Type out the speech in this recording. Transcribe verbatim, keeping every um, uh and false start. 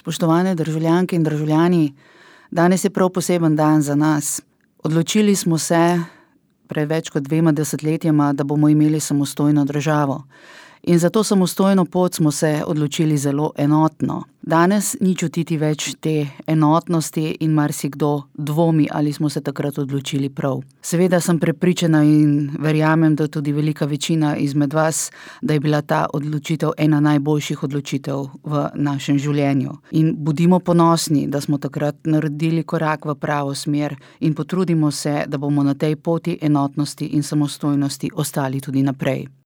Spoštovane državljanke in državljani, danes je prav poseben dan za nas. Odločili smo se pred več kot dvema desetletjema, da bomo imeli samostojno državo. In za to samostojno pot smo se odločili zelo enotno. Danes ni čutiti več te enotnosti in marsikdo dvomi, ali smo se takrat odločili prav. Seveda sem prepričana in verjamem, da tudi velika večina izmed vas, da je bila ta odločitev ena najboljših odločitev v našem življenju. In bodimo ponosni, da smo takrat naredili korak v pravo smer in potrudimo se, da bomo na tej poti enotnosti in samostojnosti ostali tudi naprej.